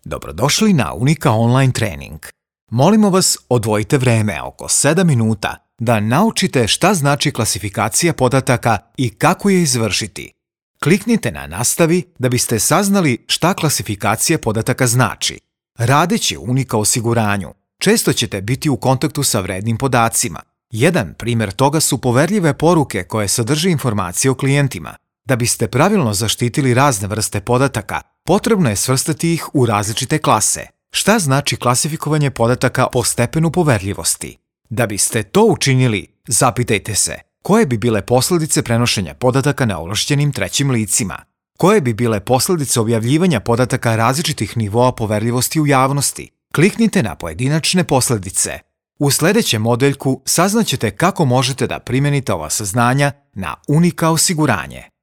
Dobrodošli na Unika online trening. Molimo vas, odvojite vreme oko 7 minuta da naučite šta znači klasifikacija podataka i kako je izvršiti. Kliknite na Nastavi da biste saznali šta klasifikacija podataka znači. Radeći u Unika osiguranju, često ćete biti u kontaktu sa vrednim podacima. Jedan primjer toga su poverljive poruke koje sadrže informacije o klijentima. Da biste pravilno zaštitili razne vrste podataka, potrebno je svrstati ih u različite klase. Šta znači klasifikovanje podataka po stepenu poverljivosti? Da biste to učinili, zapitajte se koje bi bile posljedice prenošenja podataka neovlašćenim trećim licima? Koje bi bile posljedice objavljivanja podataka različitih nivoa poverljivosti u javnosti? Kliknite na pojedinačne posljedice. U sljedećem modeljku saznaćete kako možete da primijenite ova saznanja na Unika osiguranje.